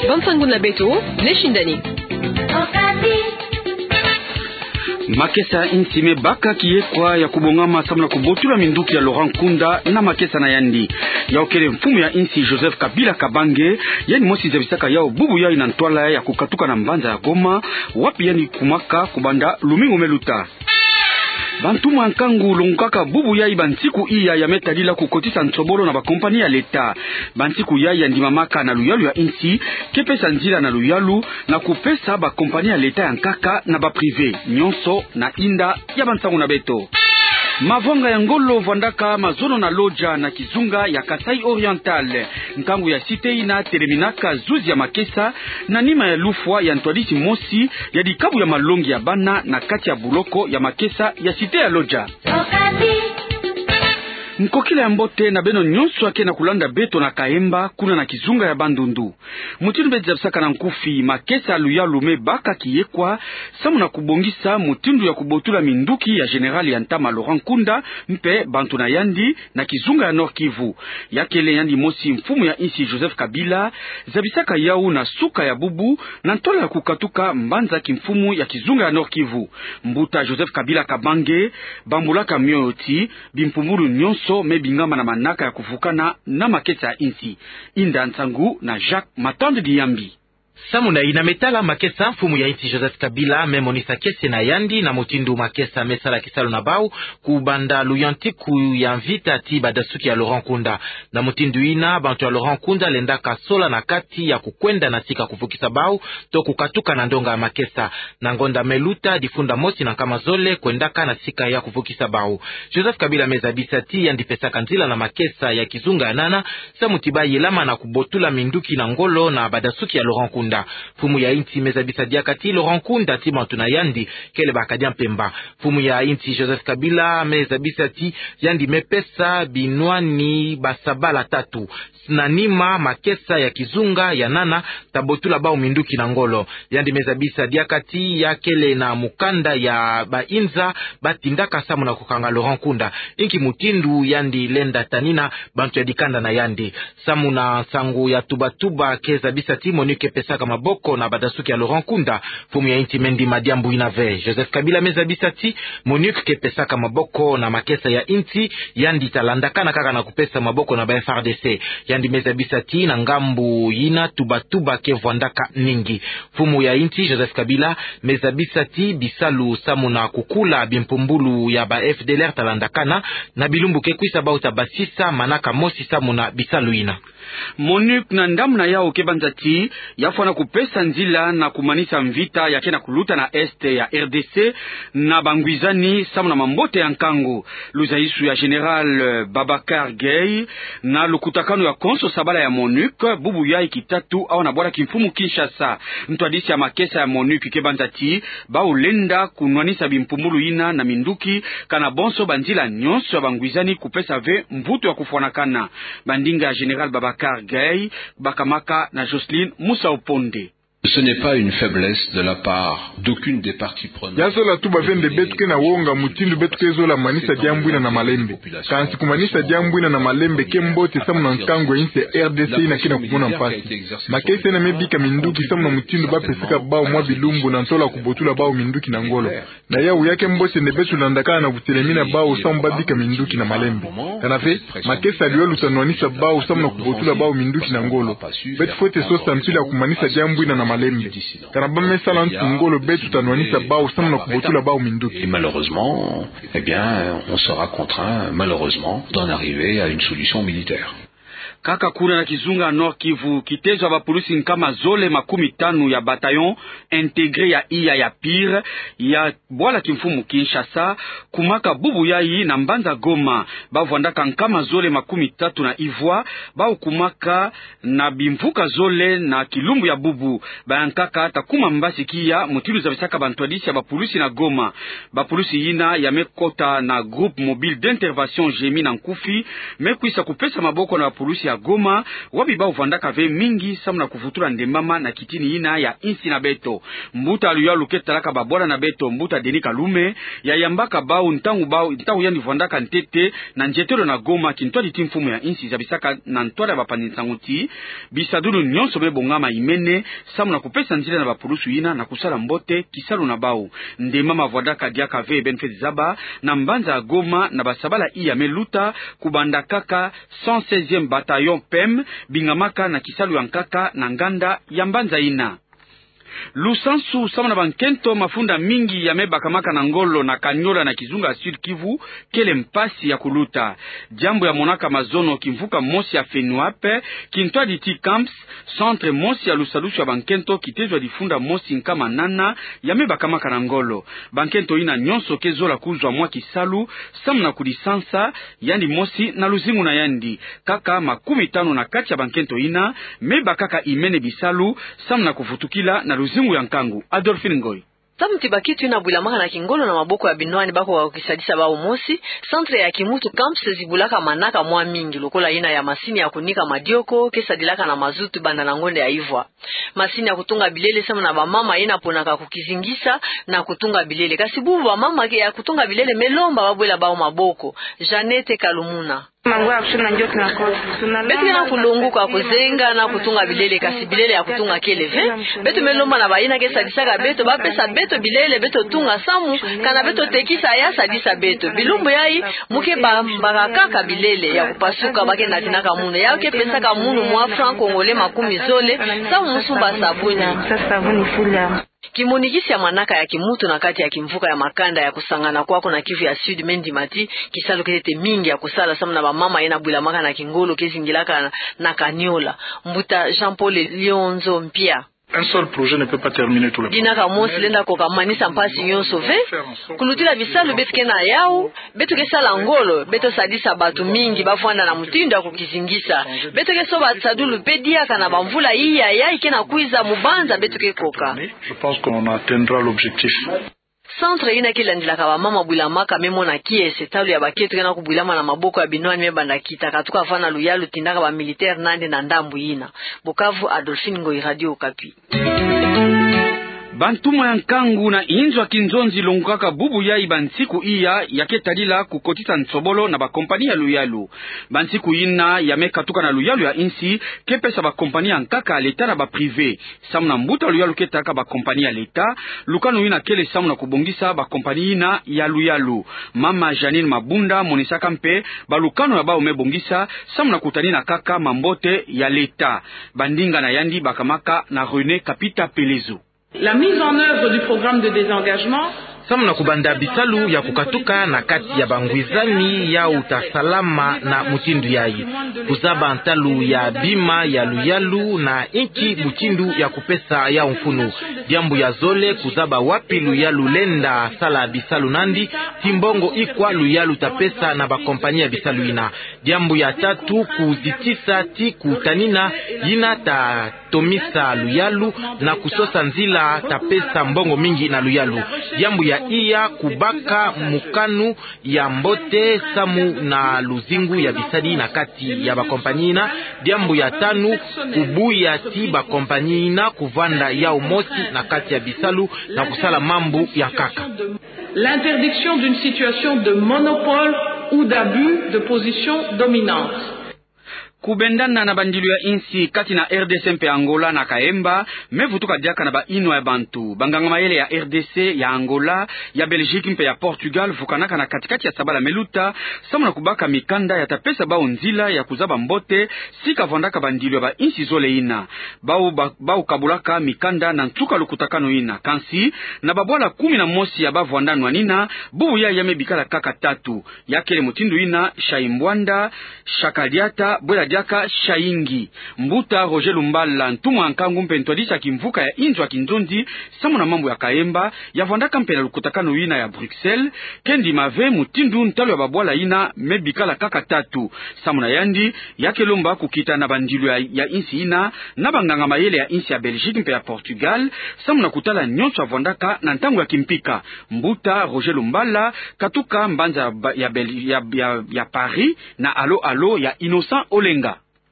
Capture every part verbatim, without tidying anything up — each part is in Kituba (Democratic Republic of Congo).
Bansangu na beto, Neshindani. Makesa ya insi me baka kiyekwa ya kubongama samu na kubotula minduki ya Laurent Nkunda na makesa na yandi. Yau kele mfumu ya insi Joseph Kabila Kabange, yandi mosi zabisaka yau bubu yai na ntwala ya kukatuka na mbanza ya Goma, wapi yandi kumaka kubanda lumingu me luta. Bantumwa nkangu longokaka bubu yai bansiku iya ya me tadila kukotisa nsobolo na bakompani ya leta. Bansiku yai yandi mamaka na luyalu ya insi, ke pesa nzila na luyalu, na kupesa bakompani ya leta ya nkaka na ba privé, nyonso na inda ya bansangu na beto. Mavwanga ya ngolo vwandaka mazono na Lodja na kizunga ya Kasaï Oriental. Nkangu ya cité ina teleminaka zuzi ya makesa, na nima ya lufwa ya ntwadisi mosi ya dikabu ya malongi ya bana na kati ya buloko ya makesa ya cité ya Lodja. Nkokila ya mbote na beno nyonso ya ke na kulanda beto na Kahemba, kuna na kizunga ya Bandundu. Mutindu beto zabisaka na nkufi, makesa ya luyalu me baka kiyekwa, samu na kubongisa mutindu ya kubotula minduki ya général ya ntama Laurent Nkunda, mpe bantu na yandi, na kizunga ya Nord-Kivu. Ya kele yandi mosi mfumu ya insi Joseph Kabila, zabisaka yau na suka ya bubu, na ntwala ya kukatuka mbanza kimfumu ya kizunga ya Nord-Kivu. Mbuta Joseph Kabila Kabange bambulaka mioyo ti, bimpumbulu nyonso me bingama na manaka ya kuvukana na makesa ya insi. Inda nsangu na Jacques Matande Diyambi. Samu na ina me tala makesa, mfumu ya insi Joseph Kabila me monisa kiese na yandi na mutindu makesa me sala kisalu na bau, kubanda luyantiku ya mvita ti badasuki ya Laurent Nkunda. Na mutindu ina, bantu ya Laurent Nkunda lendaka sola na kati ya kukwenda na sika kuvukisa bau, to kukatuka na ndonga ya makesa. Na ngonda me luta, difunda mosi na nkama zole kwendaka na sika ya kuvukisa bau. Joseph Kabila me zabisa ti yandi pesaka nzila na makesa ya kizunga ya nana, samu ti ba yelama na kubotula minduki na ngolo na badasuki ya Laurent Nkunda. Mfumu ya insi me zabisa diaka ti Laurent Nkunda ti bantu na yandi kele ba kadia mpemba. Mfumu ya insi Joseph Kabila me zabisa ti yandi me pesa binwani basabala tatu. Na nima makesa ya kizunga ya nana, ta botula bau minduki na ngolo. Yandi me zabisa diaka ti ya kele na mukanda ya bainza ba tindaka samu na kukanga Laurent Nkunda. Inki mutindu yandi lenda tanina bantu ya dikanda na yandi. Samu na nsangu ya tuba-tuba ke zabisa ti MONUC ke pesaka maboko na badasuki ya Laurent Nkunda, mfumu ya insi me ndima diambu ina ve. Joseph Kabila me zabisa ti MONUC ke pesaka maboko na makesa ya insi, yandi ta landakana kaka na kupesa maboko na ba F A R D C. Yandi me zabisa ti na ngambu ina tuba-tuba ke vwandaka ningi. Mfumu ya insi Joseph Kabila me zabisa ti bisalu samu na kukula bimpumbulu ya ba F D L R ta landakana, na bilumbu ke kwisa bau ta basisa manaka mosi samu na bisalu ina. MONUC na ndambu na yau ke banza ti ya fwana kupesa nzila na kumanisa mvita ya ke na kuluta na Est ya R D C na bangwizani samu na mambote ya nkangu. Luzaisu ya Général, eh, Babacar Gaye na lukutakanu ya konso sabala ya MONUC, bubu yai kitatu awa na bwala kimfumu Kinshasa. Ntwadisi ya makesa ya MONUC ke banza ti bau lenda kunwanisa bimpumbulu ina na minduki, kana bonso banzila nyonso ya bangwizani kupesa ve mvutu ya kufwanakana. Bandinga ya Général Babacar Gaye bakamaka na Jocelyne Musau Ponde. Ce n'est pas une faiblesse de la part d'aucune des parties prenantes. Ya zola tuba ve nde beto ke na wonga mutindu beto ke zola manisa diambu ina na malembe. Kansi kumanisa diambu ina na malembe ke mbote samu na nkangu ya insi ya R D C ina ke na kumona mpasi. Makesa ina me bika minduki samu na mutindu ba pesaka bau mwa bilumbu na ntola kubotula bau minduki na ngolo. Na yau ya ke mbote nde beto landakana na kutelemina bau samu ba bika minduki na malembe. Kana ve, makesa ya luyalu ta nwanisa bau samu na kubotula bau minduki na ngolo. Beto fwete sosa mpila ya kumanisa diambu ina na malembe. Kana ba me sala ntu ngolo beto ta nwanisa bau samu na kubotula bau minduki. Et malheureusement, eh bien, on sera contraint, malheureusement, d'en arriver à une solution militaire. Kaka kuna na kizunga Nord-Kivu, kitezo ya bapulusi nkama zole makumi tanu ya bataillon intégré ya iya ya Pire, ya bwala kimfumu Kinshasa, kumaka bubu yai na mbanza Goma. Ba vwandaka nkama zole makumi tatu na ivwa, bau kumaka na bimvuka zole na kilumbu ya bubu. Bayankaka ta kuma mbasi kiya, mutindu zabisaka bantwadisi ya bapulusi na Goma. Bapulusi ina ya me kota na Groupe Mobile d'Intervention, GMI na nkufi, me kwisa kupesa maboko na bapulusi Goma, wapi bau vandaka ve mingi samu na kuvutula ndembama na kitini ina ya insi na beto. Mbuta luyalu ke talaka babwala na beto, mbuta Denis Kalume, ya yambaka bau ntangu bau, ntangu yandi vandaka ntete na nzietelo na Goma, kintwadi ti mfumu ya insi zabisaka na ntwala ya bapanzi nsangu ti bisadulu nyonso me bongama imene, samu na kupesa nzila na bapulusu ina na kusala mbote kisalu na bau. Ndembama vandaka diaka ve beno fweti zaba, na mbanza ya Goma na basabala iya me luta, kubanda kaka cent seizième bataillon P M bingamaka na kisalu ya nkaka na nganda ya mbanza ina. Lusansu samu na bankento mafunda mingi ya me bakamaka na ngolo na Kaniola na kizunga ya Sud-Kivu kele mpasi ya kuluta. Diambu ya monaka mazono kimvuka mosi ya FENUAP, kintwadi ti CAMPS, centre mosi ya lusalusu ya bankento kitezwa difunda mosi nkama nana ya me bakamaka na ngolo. Bankento ina nyonso ke zola kuzwa mwa kisalu samu na kudisansa yandi mosi na luzingu na yandi. Kaka makumi tanu na kati ya bankento ina me bakaka imene bisalu samu na kuvutukila na luzingu ya nkangu. Adolphine Ngoy. Samu ti bakento ina bwilamaka na kingolo na maboko ya binwani bakoka kukisadisa bau mosi, centre ya kimutu CAMPS zibulaka manaka mwa mingi, lokola ina ya masini ya kunika madioko ke sadilaka na mazutu banda na ngonda ya ivwa. Masini ya kutunga bilele samu na bamama yena ponaka kukizingisa na kutunga bilele. Kasi bubu bamama ke ya kutunga bilele me lomba babwela bau maboko. Jeannette Kalumuna. Beto ke na kulonguka kuzenga na kutunga bilele, kasi bilele ya kutunga kele ve. Beto me lomba na bayina ke sadisaka beto bapesa beto bilele beto tunga samu kana beto tekisa ya sadisa beto. Bilumbu yayi mu ke bambaka kaka bilele ya kupasuka ba ke natinaka munu. Yayi ke pesaka munu mwa franc congolais makumi zole samu mu sumba sabuni. Kimonikisi ya manaka ya kimutu na kati ya kimvuka ya makanda ya kusangana kwaku na Kivu ya Sud me ndima ti kisalu ke ntete mingi ya kusala samu na bamama yena bwilamaka na kingolo ke zingilaka na, na Kaniola. Mbuta Jean-Paul Lionzo Mpia. Un seul projet ne peut pas terminer tous les problèmes. Dina kamosi lenda koka manisa mpasi nyonso ve. Kulutila bisalu beto ke na yau, beto ke sala ngolo, beto sadisa bato mingi bavwanda na mutindu ya kukizingisa. Beto ke soba sadulu pe diaka na bamvula iya yayi ke na kwiza mu banza beto ke koka. Je pense qu'on atteindra l'objectif. Centre yina ke landilaka bamama bwilamaka me mona kiese, talu ya bakento ke na kubwilama na maboko ya binwani me banda kita, katuka vana luyalu tindaka ba militaire nandi na ndambu yina. Bukavu, Adolphine Ngoyi, Radio Okapi. Bantumwa ya nkangu na inzo ya kinzonzi longokaka bubu yayi bansiku iya ya ke tadila kukotisa nsobolo na bakompani ya luyalu. Bansiku yina ya me katuka na luyalu ya insi ke pesa bakompani ya nkaka ya leta na ba privé. Samu na mbuta luyalu ke talaka bakompani ya leta, lukanu yina kele samu na kubongisa bakompani yina ya luyalu. Mama Jeanine Mabunda monisaka mpe balukanu ya bau me bongisa samu na kutanina kaka mambote ya leta. Bandinga na yandi bakamaka na René Kapita Pelezo. La mise en œuvre du programme de désengagement. Samu na kubanda bisalu ya kukatuka na kati ya bangwizani yau ta salama na mutindu yayi. Kuzaba ntalu ya bima ya luyalu na inki mutindu ya kupesa yau mfunu. Diambu ya zole, kuzaba wapi luyalu lenda sala bisalu nandi, ti mbongo ikwa luyalu ta pesa na bakompani ya bisalu yina. Diambu ya tatu, kuzitisa ti kutanina yina ta tomisa luyalu na kusosa nzila ta pesa mbongo mingi na luyalu. Diambu ya iya, kubaka mokano ya mbote samu na luzingu ya bisadi na kati ya bakompani yina. Diambu ya tanu, kubuya ti bakompani yina kuvanda yau mosi na kati ya bisalu na kusala mambu ya nkaka. L'interdiction d'une situation de monopole ou d'abus de position dominante. Kubendana na bandilu ya insi kati na R D C mpe Angola na Kaemba, me vutuka diaka na ba inwa ya bantu. Banganga mayele ya R D C, ya Angola, ya Belgique mpe ya Portugal vukanaka na katikati ya sabala me luta, samu na kubaka mikanda ya ta pesa bau nzila ya kuzaba mbote si kavandaka bandilu ya ba insi zole yina. Bau ba-, bau kabulaka mikanda na nsuka lukutakanu yina. Kansi, na babwala kumi na mosi ya bavwanda nwanina, bubu yayi ya me bikala kaka tatu. Ya kele mutindu yina: Shaimbwanda, Shakadiata, bwela diaka Shaingi. Mbuta Roger Lumbala, ntumwa nkangu mpe ntwadisi ya kimvuka ya inzo ya kinzonzi samu na mambu ya Kaemba, ya vwandaka mpe na lukutakanu yina ya Bruxelles, ke ndima ve mutindu ntalu ya babwala yina me bikala kaka tatu. Samu na yandi, ya ke lomba kukita na bandilu ya, ya insi yina, na banganga mayele ya insi ya Belgique mpe ya Portugal, samu na kutala nyonso ya vwandaka na ntangu ya kimpika. Mbuta Roger Lumbala katuka mbanza ya ba-, ya Bel-, ya, ya, ya Paris na alo-alo ya Innocent Olenga.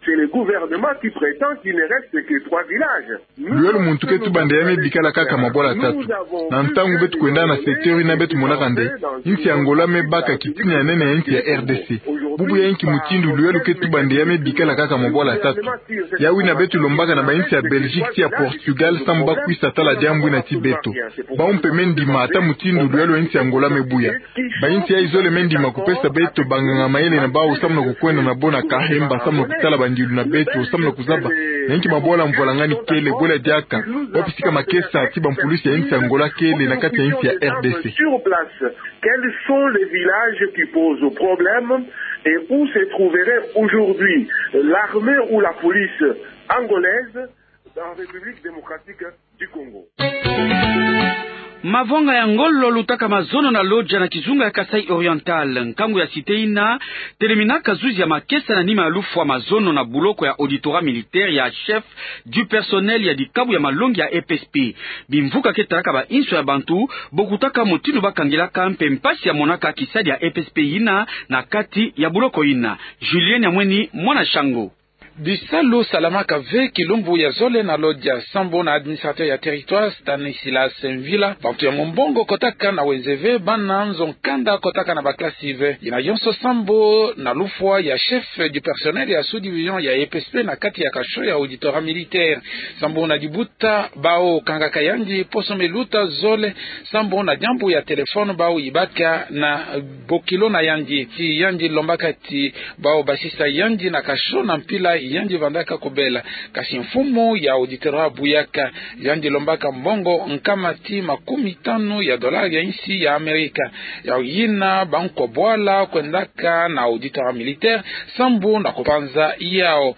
C'est le gouvernement qui prétend qu'il ne reste que trois villages. Lwelo muntu ke tubanda ya me bikala kaka mabwala tatu. Na ntangu beto kwenda na secteur yina beto monaka nde insi ya Angola me baka kitina ya nene ya insi ya R D C. Bubu ya inki mutindu lwelo ke tubanda ya me bikala kaka mabwala tatu? Yawu yina beto lombaka na ba insi ya Belgique ti ya Portugal samu ba kwisa tala diambu yina ti beto. Bawu mpe me ndima ata mutindu lwelo insi ya Angola me buya. Ba insi yayi zole me ndima kupesa beto banganga mayele na bawu samu na kukwenda na bo na kahemba samu na kutala bandilu na beto samu na kuzaba na inki mabwala mvwalangani kele, bwela diaka wapi sika makesa ti bampulusi ya insi ya Angola kele na kati ya insi ya R D C. Sur place, quels sont les villages qui posent problème et où se trouverait aujourd'hui l'armée ou la police angolaise dans la République démocratique du Congo? Mavwanga ya ngolo lutaka mazono na Lodja na kizunga ya Kasaï Oriental. Nkangu ya cité yina teleminaka zuzi ya makesa na nima ya lufwa mazono na buloko ya auditorat militaire ya chef du personnel ya dikabu ya malongi ya E P S P. Bimvuka ke talaka ba inso ya bantu, bo kutaka mutindu ba kangilaka mpe mpasi ya monaka kisadi ya E P S P yina na kati ya buloko yina. Julien Nyamweni, mwana Shango. Bisalu salamaka ve kilumbu ya zole na Lodja, sambu na administrateur ya territoire Stanislas Mvila. Bantu ya Mombongo kotaka na wenze ve, bana nzo nkanda kotaka na ba classe ve. Yina yonso sambu na lufwa ya chef du personnel ya sous-division ya E P S P na kati ya cachot ya auditorat militaire. Sambu na dibuta bawu kangaka yandi poso me luta zole, sambu na diambu ya téléphone bawu yibaka na bokilo na yandi. Ti yandi lombaka ti bawu basisa yandi na cachot na mpila yandi vandaka kubela. Kasi mfumu ya auditorat buyaka. Yandi lombaka mbongo nkama ti makumi tanu ya dollars ya insi ya Amerika. Yawu yina bankwa bwala kwendaka na auditorat militaire sambu na kupanza yawu.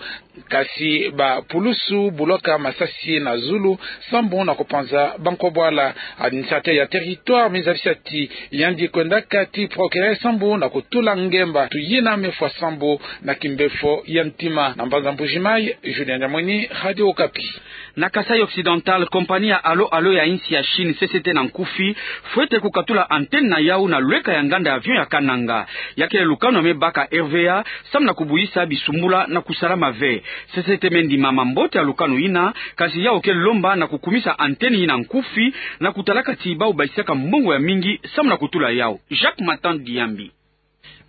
Kasi bapulusu bulaka masasi na zulu sambu na kupanza bankwa bwala. Administrateur ya territoire me zabisa ti yandi kwendaka ti procureur sambu na kutula ngemba. Tu yina me fwa sambu na kimbefo ya ntima. Na mbanza Mbuji-Mayi, Julien Nyamweni, Radio Okapi. Na Kasaï Occidental, kompani ya Allo Allo ya insi ya Chine, C C T na nkufi, fwete kukatula antenne na yawu na lweka ya nganda ya avion ya Kananga. Ya kele lukanu ya me baka R V A, samu na kubuyisa bisumbula na kusalama ve. C C T me ndima mambote ya lukanu yina, kasi yawu ke lomba na kukumisa antenne yina nkufi, na kutalaka ti bawu basisaka mbongo ya mingi samu na kutula yawu. Jacques Matan Diambi.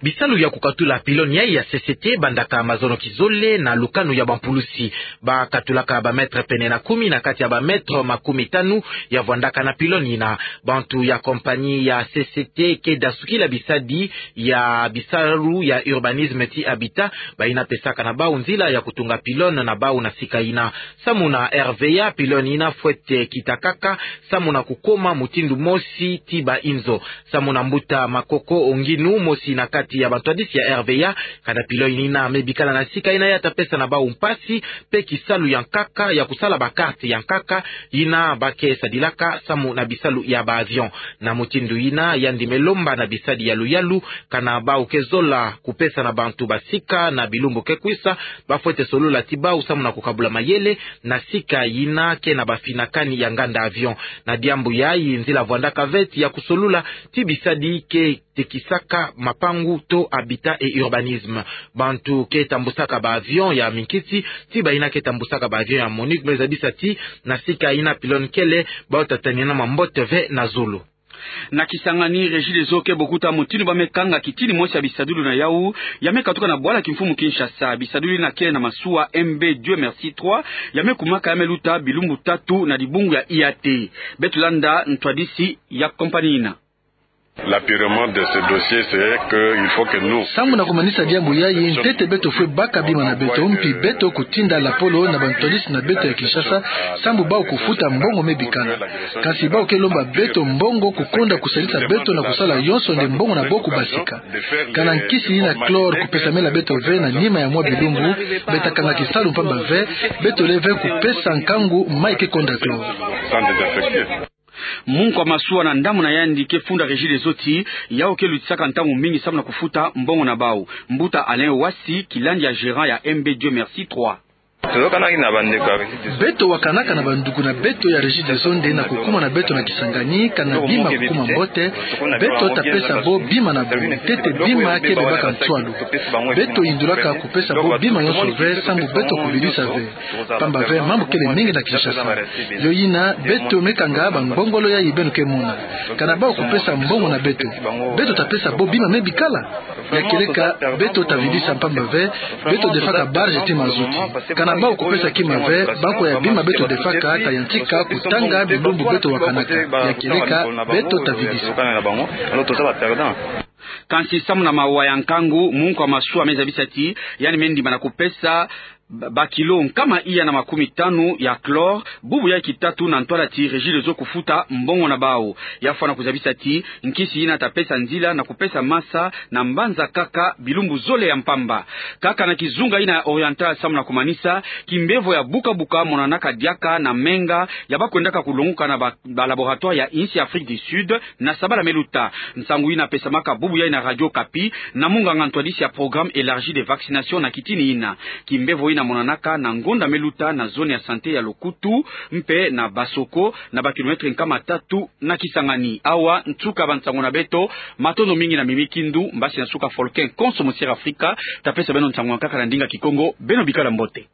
Bisalu ya kukatula pylône yayi ya C C T bandaka mazono kizole na lukanu ya bampulusi. Ba katulaka ba mètre pene na kumi na kati ya ba mètre makumi tanu ya vwandaka na pylône yina. Bantu ya kompani ya C C T ke dasukila bisadi ya bisalu ya urbanisme ti Habitat, bayina pesaka na bawu nzila ya kutunga pylône na bawu na sika yina. Samu na R V A, pylône yina fwete kita kaka samu na kukoma mutindu mosi ti ba inzo. Samu na mbuta Makoko Onginu, mosi na kati ya bantwadisi ya R V A, kana pylône yina me bikala na sika yina ya ta pesa na bawu mpasi, mpe kisalu ya nkaka ya kusala ba carte ya nkaka yina ba ke sadilaka samu na bisalu ya ba avion. Na mutindu yina yandi me lomba na bisadi yalu yalu, kana bawu ke zola kupesa na bantu basika na bilumbu ke kwisa, ba fwete solola ti bawu samu na kukabula mayele na sika yina ke na bafinakani ya nganda avion. Na diambu yayi, nzila vwandaka ve ti ya kusolula ti bisadi ke tekisaka mapangu to Habitat et Urbanisme. Bantu ke tambusaka ba avion ya minkisi, ti bayina ke tambusaka ba avion ya MONUC, me zabisa ti na sika yina pylône kele, bawu ta tanina mambote ve na zulu. Na Kisangani, Regideso ke bokuta mutindu ba me kanga kitini mosi ya bisadulu na yawu ya me katuka na bwala kimfumu Kinshasa. Bisadulu yina kele na masuwa M B Dieu Merci trois, ya me kumaka, ya me luta bilumbu tatu na dibungu ya I A T. Beto landa ntwadisi ya kompani yina. L'apurement de ce dossier, c'est que il faut que nous... Sambu na kumanisa diambu yayi, ntete beto fwe baka bima na beto, mpi beto kutinda lapolo na bantwadisi na beto ya Kinshasa, sambu bawu kufuta mbongo me bikana. Kansi bawu ke lomba beto mbongo kukonda kusalisa beto na kusala yonso nde mbongo na bo kubasika. Kana nkisi yina chlore kupesamela beto ve na nima ya mwa bilumbu, beta kanga kisalu mpamba ve, beto le ve kupesa nkangu mayi ke konda chlore. Munkwa masuwa na ndambu na yandi ke funda Regideso ti yawu ke lutisaka ntangu mingi samu na kufuta mbongo na bawu. Mbuta Alain Wasi, kilandi ya gérant ya M B Dieu Merci trois. Beto wakanaka na banduku na beto ya Regideso nde na kukuma na beto na Kisangani, kana bima kukuma mbote, beto tapesa bo bima na bo. Ntete bima ke bebaka nswalu. Beto yindulaka kupesa bo bima yonso ve, sambu beto kuvilisa ve. Pamba ve mambu kele mingi na Kinshasa. Yo yina, beto me kanga bangongolo yayi beno ke mona. Kana bau kupesa mbongo na beto, beto tapesa bo bima me bikala. Ya kieleka, beto tavilisa mpamba ve, beto defaka barge ti mazuti. Kana bau kupesa kima ve, bankwa ya bima beto defaka tayantika kutanga bilumbu beto wakanaka. Ya kieleka, beto tavilisa. Kansi samu na mawa ya nkangu, munkwa masuwa me zabisa ti yandi me ndimana kupesa ba-, bakilo nkama iya na makumi tanu ya chlore, bubu ya kitatu na ntwala ti Regideso kufuta mbongo na bau. Ya fwana kuzabisa ti nkisi yina tapesa nzila na kupesa masa na mbanza kaka bilumbu zole ya mpamba. Kaka na kizunga yina ya Oriental samu na kumanisa, kimbevo ya buka-buka monanaka diaka na menga ya bakwendaka kulonguka na ba-, ba laboratoire ya insi Afrique du Sud na sabala me luta. Nsangu yina pesamaka bubu yayi na Radio Okapi na munganga ntwadisi ya programme élargi de vaccination na kitini yina. Kimbevo yina monanaka na ngonda me luta na zone ya santé ya Lokutu mpe na Basoko, na ba kilomètre nkama tatu na Kisangani. Awa nsuka bansangu na beto. Matondo mingi na mimikindu, mbasi na suka folken konso mosiere Afrika. Tapesa beno nsangu ya nkaka na ndinga Kikongo. Beno bikala mbote.